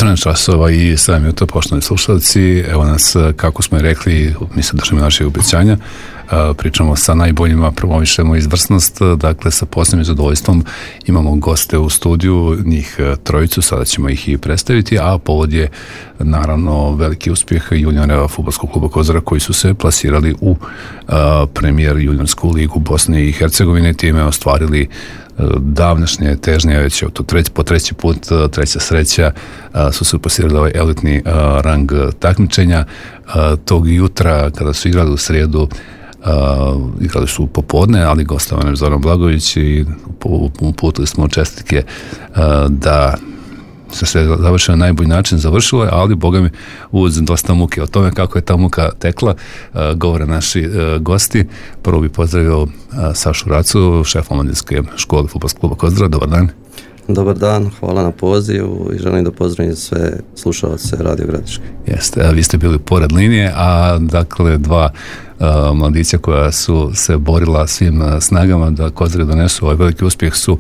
14 časova i 7 minuta, poštovani slušalci. Evo nas, kako smo i rekli, mislim da ćemo naših obećanja. Pričamo sa najboljima, promovišemo izvrsnost, dakle sa posebnim zadovoljstvom imamo goste u studiju, njih trojicu, sada ćemo ih i predstaviti, a povod je naravno veliki uspjeh juniora fudbalskog kluba Kozara koji su se plasirali u premijer juniorsku ligu Bosne i Hercegovine, time ostvarili davnašnje težnje, već po treći put, treća sreća, su se plasirali ovaj elitni rang takmičenja. Tog jutra kada su igrali u srijedu, igrali su popodne, ali gostovan Zoran Blagović i uputili smo čestitke da se sve završilo na najbolji način, završilo je, ali boga mi uz dosta muke. O tome kako je ta muka tekla govore naši gosti. Prvo bi pozdravio Sašu Racu, šef omladinske škole fudbalskog kluba Kozara. Dobar dan. Dobar dan, hvala na pozivu i želim da pozdravim sve slušalce Radio Gradiške. Jeste, vi ste bili pored linije, a dakle dva mladića koja su se borila svim snagama da Kozari donesu ovaj veliki uspjeh su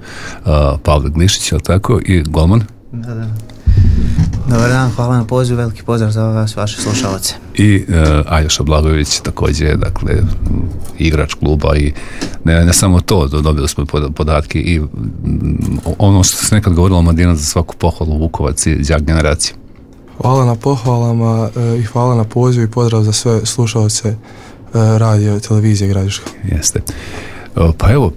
Pavle Glišić, ali tako, i golman. Da. Dobar dan, hvala na pozivu, veliki pozdrav za vas, vaše slušalce. I Aljoša Blagojević, također, dakle, igrač kluba i ne samo to, dobili smo podatke i ono što se nekad govorilo o Mladina za svaku pohvalu, Vukovac i đak generacije. Hvala na pohvalama i hvala na pozivu i pozdrav za sve slušalce radio, televizije Gradiška. Jeste. Pa evo,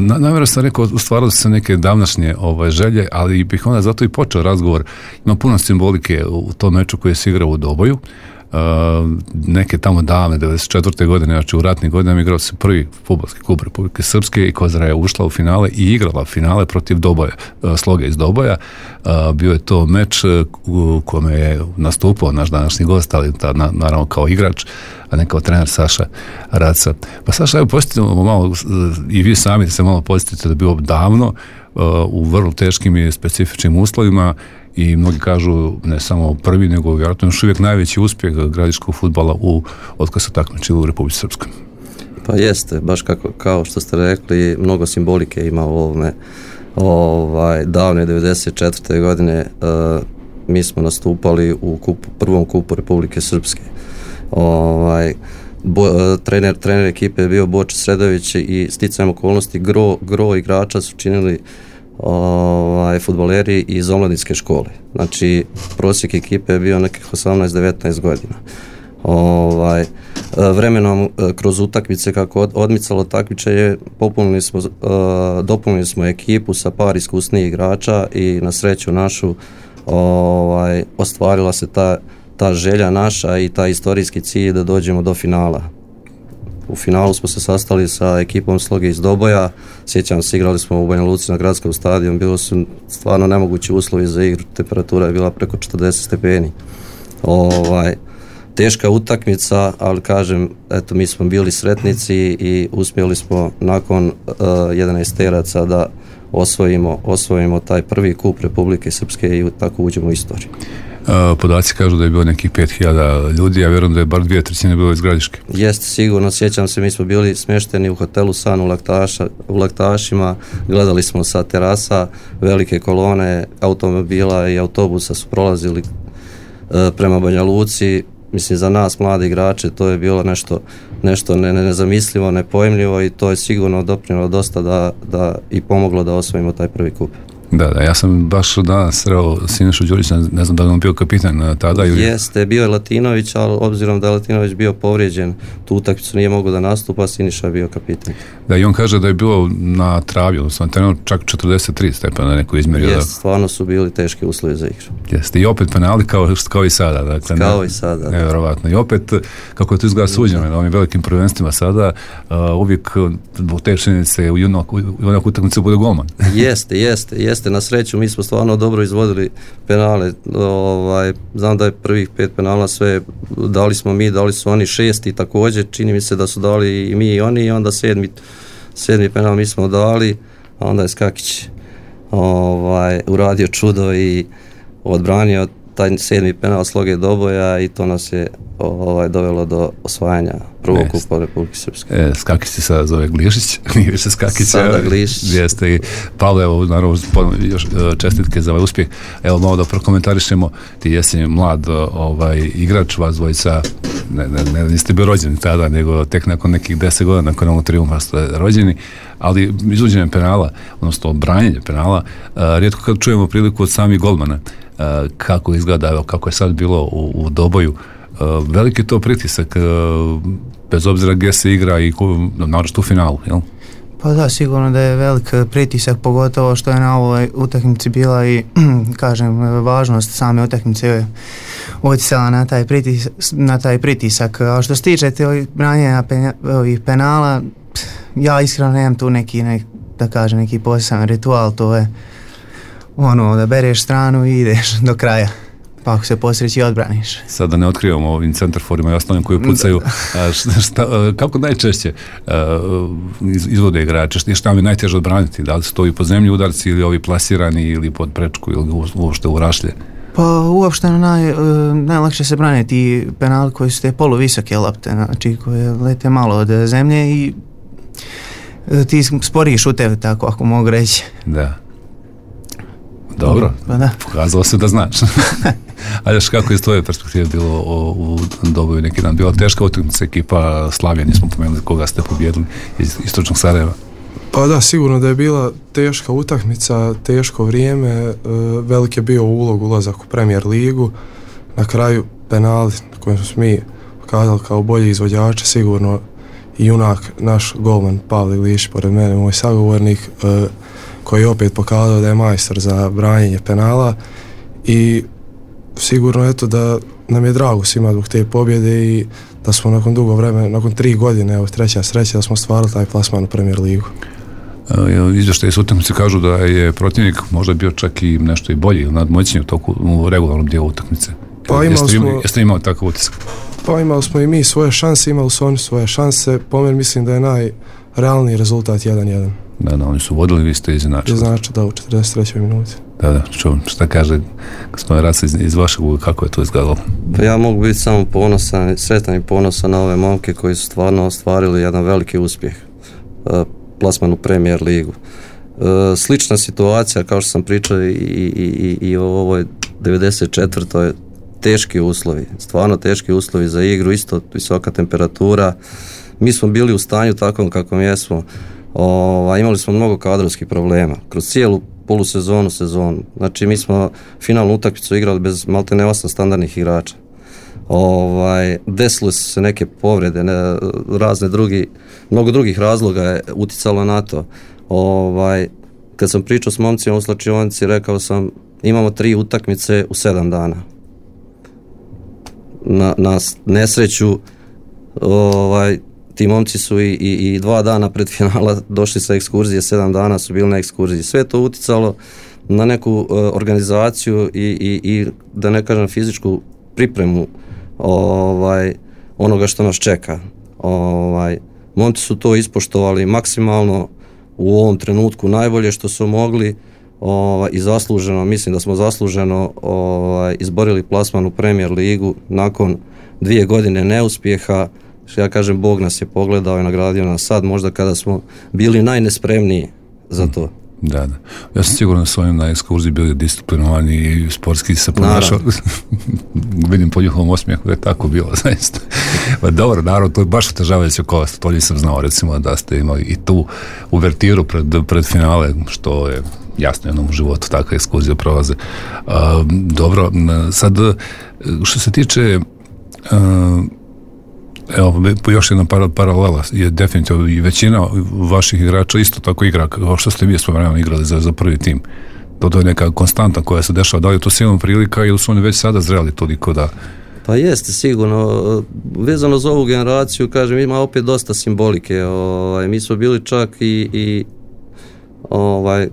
namjerno sam rekao, ustvarili su se neke davnašnje želje, ali bih onda zato i počeo razgovor. Ima puno simbolike u tom meču koji se igrao u Doboju. Neke tamo davne 94. godine, znači u ratnim godinama igrao se prvi fudbalski klub Republike Srpske i Kozara je ušla u finale i igrala finale protiv Doboja, Sloge iz Doboja. Bio je to meč u kome je nastupao naš današnji gost, ali naravno kao igrač, a ne kao trener Saša Raca. Pa Saša, evo posjetimo malo, i vi sami se malo posjetite da je bilo davno, u vrlo teškim i specifičnim uslovima, i mnogi kažu ne samo prvi, nego vjerojatno još uvijek najveći uspjeh gradiškog fudbala otkad se takmičili u Republici Srpskoj. Pa jeste, baš kao što ste rekli, mnogo simbolike ima u ovome. Davne 94. godine mi smo nastupali u prvom kupu Republike Srpske. Trener ekipe je bio Boče Sredović i sticajem okolnosti gro igrača su činili fudbaleri iz omladinske škole. Znači, prosjek ekipe je bio nekih 18-19 godina. Vremenom kroz utakmice, kako odmicalo takmičenje, dopunili smo ekipu sa par iskusnijih igrača i na sreću našu ostvarila se ta želja naša i taj istorijski cilj da dođemo do finala. U finalu smo se sastali sa ekipom Sloge iz Doboja, sjećam se, igrali smo u Banja Luci na gradskom stadionu, bilo su stvarno nemogući uslovi za igru, temperatura je bila preko 40 stepeni. Teška utakmica, ali kažem, eto, mi smo bili sretnici i uspjeli smo nakon 11 teraca da osvojimo taj prvi kup Republike Srpske i tako uđemo u istoriju. Podaci kažu da je bilo nekih 5000 ljudi, ja vjerujem da je bar 2/3 bilo iz Gradiške. Jeste, sigurno, sjećam se, mi smo bili smješteni u hotelu San u Laktašima, gledali smo sa terasa, velike kolone automobila i autobusa su prolazili prema Banja Luci. Mislim, za nas mlade igrače to je bilo nešto nezamislivo, nepojmljivo i to je sigurno doprinijelo dosta da i pomoglo da osvojimo taj prvi kup. Da, ja sam baš danas sreo Sinišu Đurića, ne znam da li on bio kapitan tada ili... Jeste, bio je Latinović, ali obzirom da je Latinović bio povrijeđen, tu utakmicu nije mogao da nastupa, Siniša je bio kapitan. Da, i on kaže da je bilo na travi, odnosno trenuo čak 43 stepena neko izmjerio. Jeste, stvarno su bili teški uslovi za igru. Jeste, i opet penali kao i sada. Dakle, kao i sada. Nevjerovatno. I opet, kako je to izgleda suđeno, na ovim velikim prvenstvima sada, uvijek u te činjenice u onak utakmicu bude golman. Jeste, na sreću mi smo stvarno dobro izvodili penale, znam da je prvih 5 penala sve dali smo mi, dali su oni 6 i također čini mi se da su dali i mi i oni i onda sedmi penal mi smo dali, a onda je Skakić uradio čudo i odbranio taj 7. penal sloge doboja i to nas je dovelo do osvajanja prvog kupa Republike Srpske. Skakić se sada zove Glišić, nije više Skakić. Sada Glišić. Jeste i Pavle, evo, naravno, još čestitke za ovaj uspjeh. Evo, malo da prokomentarišemo, ti jesi mlad igrač, vas dvojica, ne niste bio rođeni tada, nego tek nakon nekih 10 godina, nakon ovog trijumfa ste rođeni, ali izvođenje penala, odnosno branjenje penala, rijetko kad čujemo priliku od samih golmana, kako izgleda, evo, kako je sad bilo u Doboju, veliki to pritisak, bez obzira gdje se igra i naročito u finalu, jel? Pa da, sigurno da je velik pritisak, pogotovo što je na ovoj utakmici bila i, kažem, važnost same utakmice utjecala na taj pritisak. A što se tiče branjenja ovih penala, ja iskreno nemam tu neki poseban ritual, to je da bereš stranu i ideš do kraja. Pa ako se posreći odbraniš. Sad da ne otkrivamo ovim centarforima i ostalim koji pucaju, kako najčešće izvode igrače, šta mi najteže odbraniti? Da li su to i po zemlji udarci ili ovi plasirani ili pod prečku ili uopšte u rašlje? Pa uopšteno najlakše se brane ti penali koji su te poluvisoke lopte, znači koje lete malo od zemlje i ti sporiji šutevi, tako ako mogu reći. Da. Dobro, pokazalo se da znaš. A još kako iz tvoje perspektive bilo u Doboju neki dan? Bila teška utakmica, ekipa Slavija, nismo pomenuli koga ste pobjedili iz istočnog Sarajeva. Pa da, sigurno da je bila teška utakmica, teško vrijeme, velik je bio ulazak u Premier ligu, na kraju penali na kojem smo mi pokazali kao bolji izvođači, sigurno i junak naš golman Pavle Glišić, pored mene moj sagovornik, koji je opet pokazao da je majstor za branjenje penala i sigurno eto da nam je drago svima zbog te pobjede i da smo nakon dugo vremena, nakon 3 godine, evo treća sreća da smo stvarali taj plasman u Premier ligu. Izvještaji s utakmice kažu da je protivnik možda bio čak i nešto i bolji, nadmoćniji u regularnom dijelu utakmice. Jeste imali takav utisak? Pa imali smo i mi svoje šanse, imali su oni svoje šanse, po meni mislim da je najrealniji rezultat 1-1. Da, oni su vodili, vi ste izinačili. Da, u 43. minuti. Da, šta kaže gospodin Raca iz vašeg uga, kako je to izgledalo? Pa ja mogu biti samo ponosan, sretan i ponosan na ove momke koji su stvarno ostvarili jedan veliki uspjeh, plasman u Premier ligu. Slična situacija, kao što sam pričao i o ovoj 94. teški uslovi, stvarno teški uslovi za igru, isto visoka temperatura. Mi smo bili u stanju takvom kakvom jesmo. Imali smo mnogo kadrovskih problema kroz cijelu polusezonu, sezonu. Znači mi smo finalnu utakmicu igrali bez maltene 8 standardnih igrača. Desile su se neke povrede, mnogo drugih razloga je uticalo na to. Kad sam pričao s momcima u slačionici, rekao sam imamo 3 utakmice u 7 dana. Na nesreću ti momci su i 2 dana pred finala došli sa ekskurzije, 7 dana su bili na ekskurziji. Sve to uticalo na neku organizaciju i da ne kažem fizičku pripremu onoga što nas čeka. Momci su to ispoštovali maksimalno u ovom trenutku najbolje što su mogli i zasluženo, mislim da smo zasluženo izborili plasman u Premier ligu nakon 2 godine neuspjeha. Ja kažem, Bog nas je pogledao i nagradio nas sad, možda kada smo bili najnespremniji za to. Da. Ja sam sigurno da su oni na ekskurziji bili disciplinovani i sportski se ponašali. Vidim po njihovom osmijehu da je tako bilo, zaista. Dobro, naravno, to je baš otežavajuće okolnosti, to nisam znao, recimo, da ste imali i tu uvertiru pred finale, što je jasno jednom u životu, takve ekskurzije prolaze. Dobro, sad, što se tiče evo, još jedna paralela je definitivno i većina vaših igrača isto tako igra kao što ste vi spomenuli igrali za prvi tim. To je neka konstanta koja se dešava, da li je to silna prilika ili su oni već sada zreli toliko da... Pa jeste, sigurno. Vezano za ovu generaciju, kažem, ima opet dosta simbolike. Mi smo bili čak i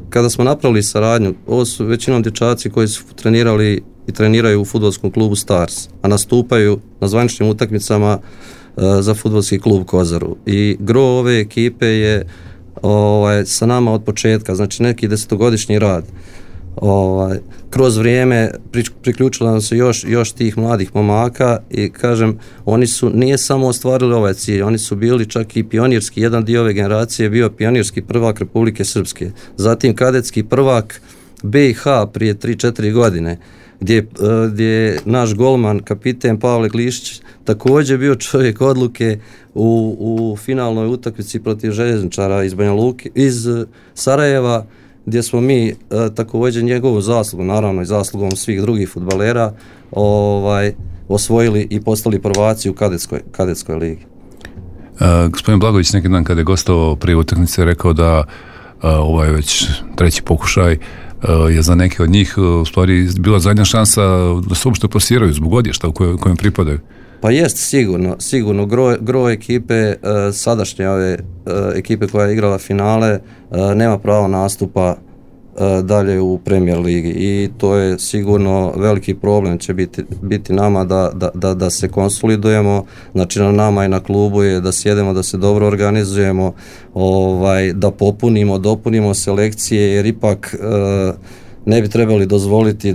kada smo napravili saradnju, ovo su većinom dječaci koji su trenirali i treniraju u fudbalskom klubu Stars, a nastupaju na zvaničnim utakmicama za fudbalski klub Kozaru. I gro ove ekipe je sa nama od početka, znači neki 10-godišnji rad. kroz vrijeme priključilo nam se još tih mladih momaka i kažem, oni nije samo ostvarili ovaj cilj, oni su bili čak i pionirski, jedan dio ove generacije je bio pionirski prvak Republike Srpske, zatim kadetski prvak BiH prije 3-4 godine, gdje je naš golman, kapiten Pavle Glišić, također bio čovjek odluke u finalnoj utakmici protiv željezničara iz Banja Luke, iz Sarajeva, gdje smo mi također njegovu zaslugu, naravno i zaslugom svih drugih fudbalera, osvojili i postali prvaci u kadetskoj ligi. Gospodin Blagović neki dan kada je gostovao prije utakmice rekao da ovo je već treći pokušaj, je za neke od njih u stvari bila zadnja šansa da se uopšte plasiraju zbog odješta u kojem pripadaju. Pa jest sigurno gro ekipe, sadašnje ove ekipe koja je igrala finale, nema pravo nastupa dalje u Premier ligi i to je sigurno veliki problem će biti nama da se konsolidujemo, znači na nama i na klubu je da sjedemo, da se dobro organizujemo, da dopunimo selekcije jer ipak ne bi trebali dozvoliti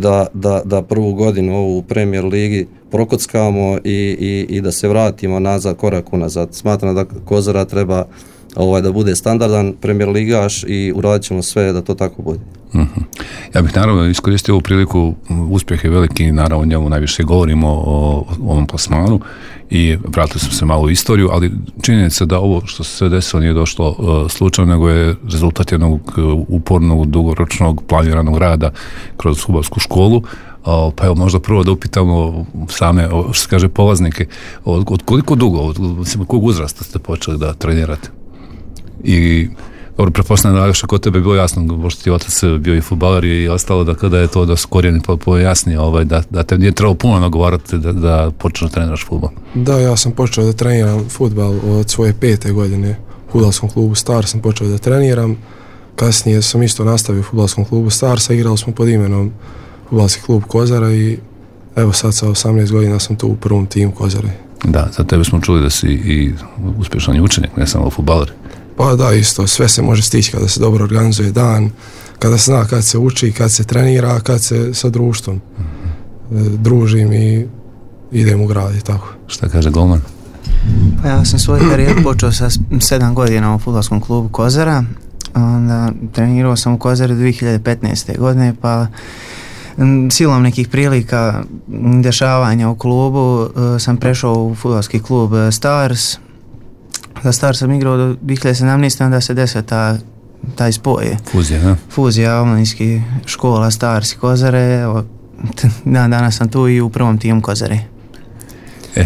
da prvu godinu ovu u Premier ligi prokockamo i da se vratimo nazad, korak unazad. Smatram da Kozara treba da bude standardan Premier ligaš i uradit ćemo sve da to tako bude. Ja bih naravno iskoristio ovu priliku, uspjeh je veliki, naravno o njemu najviše govorimo o ovom plasmanu i vratili smo se malo u istoriju, ali činjenica da ovo što se sve desilo nije došlo slučajno, nego je rezultat jednog upornog, dugoročnog, planiranog rada kroz fudbalsku školu. Pa evo možda prvo da upitamo same, što se kaže, polaznike, od koliko dugo, od kog uzrasta ste počeli da trenirate? I dobro, pretpostavljam da što kod tebe je bilo jasno, pošto ti otac bio i fudbaler i ostalo, da kada je to da su korijeni pojasni, da te nije trebalo puno nagovarati da počneš da treniraš fudbal. Da, ja sam počeo da treniram fudbal od svoje 5. godine. U fudbalskom klubu Star sam počeo da treniram, kasnije sam isto nastavio u fudbalskom klubu Starsa, igrali smo pod imenom fudbalski klub Kozara i evo sad sa 18 godina sam tu u prvom timu Kozare. Da, za tebe smo čuli da si i uspješan učenik, ne samo fudbaler. Pa da, isto, sve se može stići kada se dobro organizuje dan, kada se zna kad se uči, kad se trenira, kad se sa društvom družim i idem u grad i tako. Šta kaže golman? Pa ja sam svoj karijer počeo sa 7 godina u fudbalskom klubu Kozara, onda trenirao sam u Kozari 2015. godine, pa silom nekih prilika, dešavanja u klubu sam prešao u fudbalski klub Stars. Za Stars sam igrao do 2017. onda se desio taj spoj. Fuzija omladinskih škola Stars i Kozare. Danas sam tu i u prvom timu Kozare.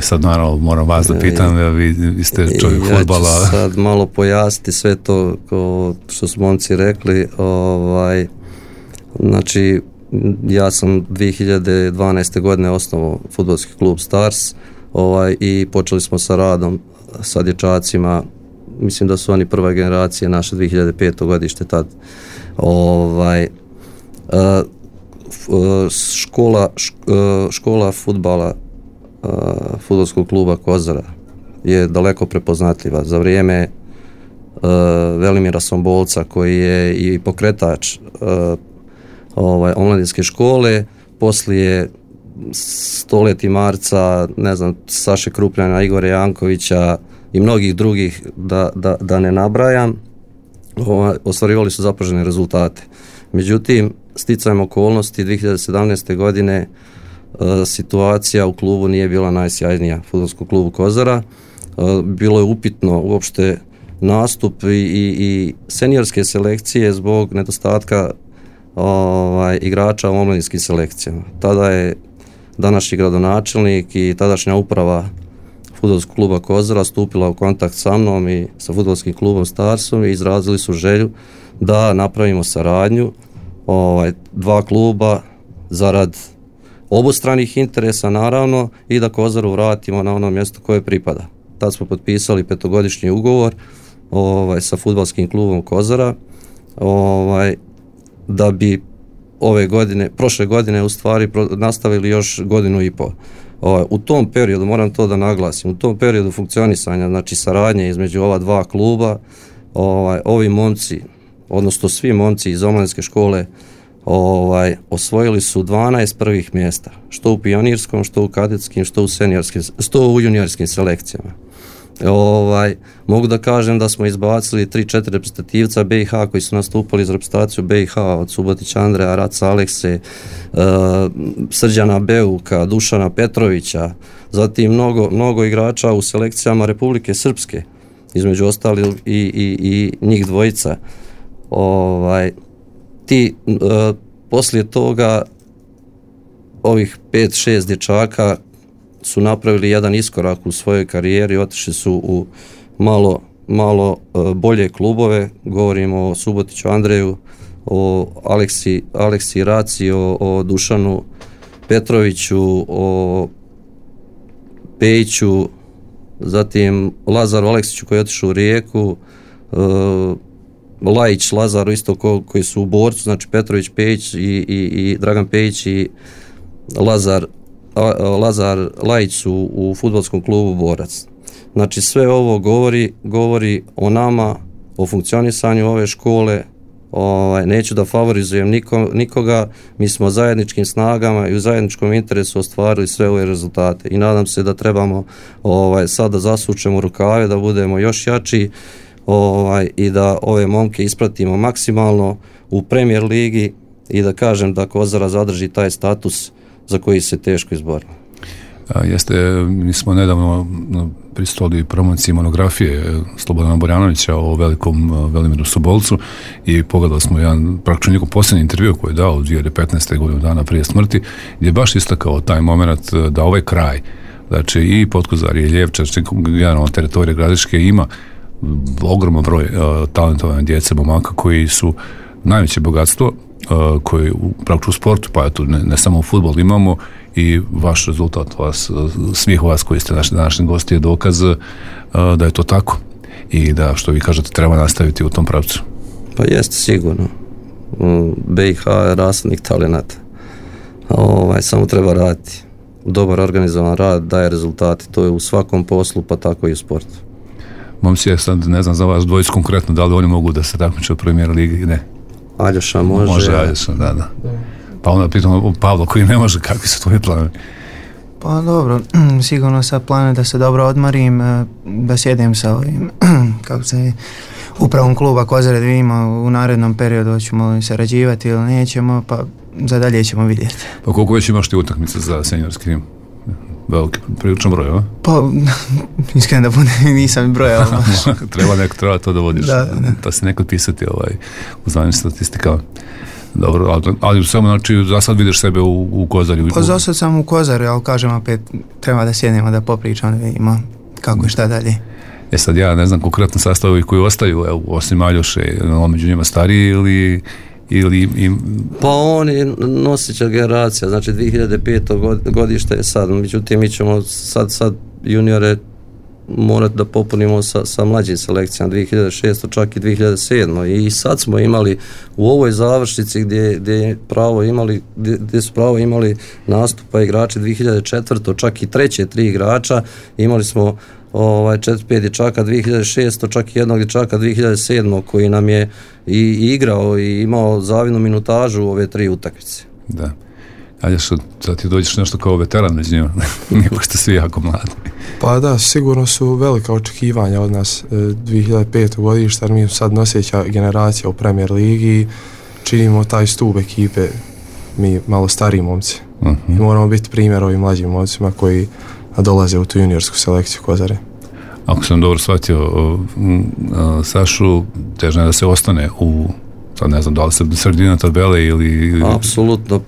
Sad naravno moram vas da pitam, vi ste čovjek fudbala. Ja ću sad malo pojasniti sve to što su momci rekli. Znači, ja sam 2012. godine osnovao fudbalski klub Stars i počeli smo sa radom sa dječacima, mislim da su oni prva generacija, naše 2005. godište tad. Škola fudbala fudbalskog kluba Kozara je daleko prepoznatljiva. Za vrijeme Velimira Sombolca, koji je i pokretač omladinske škole, poslije Stoleti Marca, ne znam, Saše Krupljana, Igora Jankovića i mnogih drugih, da ne nabrajam, ostvarivali su zapažene rezultate. Međutim, sticajem okolnosti 2017. godine situacija u klubu nije bila najsjajnija, fudbalskom klubu Kozara. Bilo je upitno uopšte nastup i seniorske selekcije zbog nedostatka igrača u omladinskim selekcijama. Tada je današnji gradonačelnik i tadašnja uprava fudbalskog kluba Kozara stupila u kontakt sa mnom i sa fudbalskim klubom Starsom i izrazili su želju da napravimo saradnju dva kluba zarad obostranih interesa naravno i da Kozaru vratimo na ono mjesto koje pripada. Tad smo potpisali 5-godišnji ugovor sa fudbalskim klubom Kozara da bi prošle godine u stvari nastavili još godinu i pol. U tom periodu, moram to da naglasim, u tom periodu funkcionisanja, znači saradnje između ova dva kluba, ovi momci, odnosno svi momci iz omladinske škole osvojili su 12 prvih mjesta, što u pionirskom, što u kadetskim, što u juniorskim selekcijama. Mogu da kažem da smo izbacili 3-4 reprezentativca BiH koji su nastupali za reprezentaciju BiH, od Subotića Andreja, Raca Alekse, Srđana Beuka, Dušana Petrovića, zatim mnogo igrača u selekcijama Republike Srpske, između ostali i njih dvojica. Poslije toga ovih 5-6 dječaka su napravili jedan iskorak u svojoj karijeri, otišli su u malo bolje klubove, govorimo o Subotiću Andreju, o Aleksi Raci, o Dušanu Petroviću, o Pejiću, zatim Lazaru Aleksiću koji je otišao u Rijeku, Lajić, Lazaru isto koji su u Borcu, znači Petrović, Pejić i Dragan Pejić i Lazar Lajić su u fudbalskom klubu Borac. Znači sve ovo govori o nama, o funkcionisanju ove škole. Neću da favorizujem nikoga, mi smo zajedničkim snagama i u zajedničkom interesu ostvarili sve ove rezultate i nadam se da trebamo sada zasučemo rukave, da budemo još jači i da ove momke ispratimo maksimalno u Premier ligi i da kažem da Kozara zadrži taj status za koji se teško izborimo. Mi smo nedavno pristupili promociji monografije Slobodana Borjanovića o velikom Velimiru Sobolcu i pogledali smo jedan praktično njegov posljednji intervju koji je dao u 2015. godinu dana prije smrti, gdje je baš istakao taj moment da ovaj kraj, znači i Potkozar i Ljevča, generalno teritorija Gradiške ima ogroman broj talentovane djece, momaka koji su najveće bogatstvo koji praktično u sportu, pa eto ne samo u fudbalu imamo, i vaš rezultat svih vas koji ste naši današnji gosti je dokaz da je to tako i da, što vi kažete, treba nastaviti u tom pravcu. Pa jeste sigurno. BiH je rasadnik talenata. Samo treba raditi. Dobar organizovan rad daje rezultati. To je u svakom poslu, pa tako i u sportu. Momci, sad ne znam za vas dvojicu konkretno, da li oni mogu da se takmiče u Premier ligi? Ne. Aljoša može. Može Aljoša, da. Pa onda pitamo Pavla koji ne može, kakvi su tvoji planovi? Pa dobro, sigurno sa planom da se dobro odmorim, da sjedem sa ovim, upravom kluba Kozare, da vidimo u narednom periodu hoćemo li sarađivati ili nećemo, pa za dalje ćemo vidjeti. Pa koliko već imaš ti utakmice za seniorski tim? Veliki, priličan broj, a? Pa, iskreno da budem, nisam brojao. Treba to da vodiš, da se neko pisati u zvanjim statistikama. Dobro, ali samo znači za sad vidiš sebe u Kozari? Pa za sad sam u Kozari, ali kažem opet treba da sjednemo, da popričamo, da vidimo kako i šta dalje. Sad ja ne znam konkretno sastavovi koji ostaju, osim Aljoše, među njima stariji ili Pa on je nosića generacija, znači 2005. godište je sad, međutim mi ćemo sad juniore morati da popunimo sa mlađim selekcijama 2006. čak i 2007. I sad smo imali u ovoj završnici gdje su pravo imali nastupa igrači 2004. čak i treće 3 igrača, imali smo 4-5 dječaka 2006. čak i jednog dječaka 2007. koji nam je i igrao i imao zavidnu minutažu u ove 3 utakmice. Da. Ali sad ti dođeš nešto kao veteran među njima, nego ste svi jako mladi. Pa da, sigurno su velika očekivanja od nas 2005. godišta, jer mi sad noseća generacija u Premier ligi, činimo taj stup ekipe, mi malo stariji momci. I moramo biti primjer ovim mlađim momcima koji dolaze u tu juniorsku selekciju Kozare. Ako sam dobro shvatio Sašu, težno je da se ostane sad ne znam da li se sredina tabele ili... Apsolutno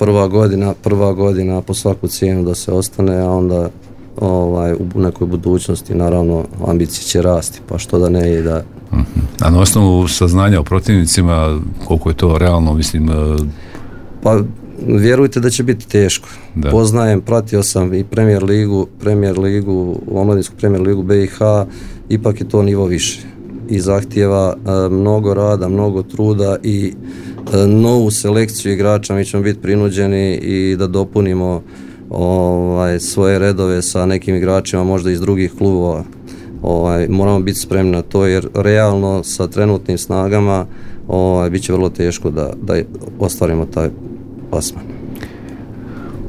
prva godina po svaku cijenu da se ostane, a onda u nekoj budućnosti naravno ambicije će rasti, pa što da ne i da... A na osnovu saznanja o protivnicima, koliko je to realno, mislim... Pa vjerujte da će biti teško. Da. Poznajem, pratio sam i Premier ligu, omladinsku Premier ligu BiH, ipak je to nivo više i zahtijeva mnogo rada, mnogo truda i novu selekciju igrača. Mi ćemo biti prinuđeni i da dopunimo svoje redove sa nekim igračima možda iz drugih klubova. Moramo biti spremni na to jer realno sa trenutnim snagama bit će vrlo teško da ostvarimo taj plasman.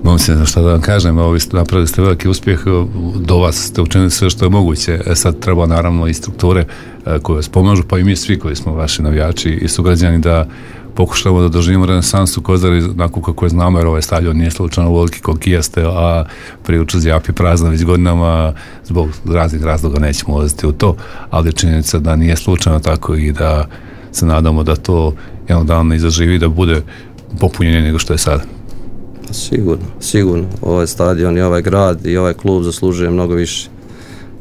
Momci, ne znam šta da vam kažem, napravili ste veliki uspjeh, do vas ste učinili sve što je moguće, sad treba naravno i strukture koje vas pomažu, pa i mi svi koji smo vaši navijači i sugrađani da pokušamo da doživimo renesansu Kozare onako kako je znamo, jer ovaj stadion nije slučajno veliki koliki jeste, a priča zjapi prazna već godinama, zbog raznih razloga nećemo ulaziti u to, ali činjenica da nije slučajno tako i da se nadamo da to jednog dana i zaživi, da bude popunjenje nego što je sada. Sigurno. Ovaj stadion i ovaj grad i ovaj klub zaslužuje mnogo više.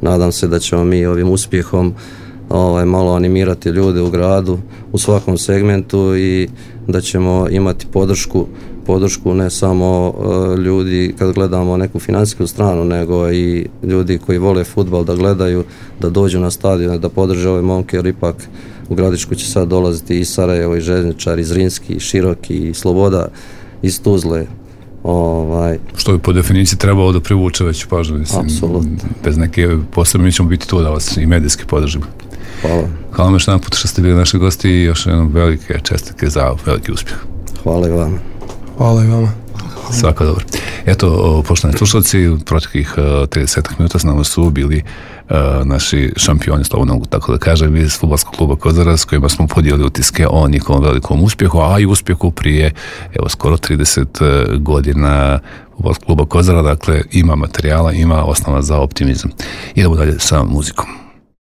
Nadam se da ćemo mi ovim uspjehom malo animirati ljude u gradu u svakom segmentu i da ćemo imati podršku ne samo ljudi kad gledamo neku financijsku stranu, nego i ljudi koji vole fudbal da gledaju, da dođu na stadion, da podrže ove momke, jer ipak u Gradišku će sad dolaziti i Sarajevo, i Željezničar, i Zrinski, i Široki, i Sloboda, iz Tuzle. Što bi po definiciji trebalo da privuče veću pažnju. Apsolutno. Bez neke posebne mi ćemo biti tu da vas i medijski podržimo. Hvala. Hvala vam još jedan put što ste bili naši gosti i još jednom velike čestitke za veliki uspjeh. Hvala i vama. Hvala i vama. Svako dobro. Eto, poštovani slušalci, u proteklih 30 minuta s nama su bili naši šampioni, slobodno mogu tako da kažem, iz fudbalskog kluba Kozara, s kojima smo podijelili utiske o njihovom velikom uspjehu, a i uspjehu prije skoro 30 godina fudbalskog kluba Kozara. Dakle, ima materijala, ima osnova za optimizam. Idemo dalje sa muzikom.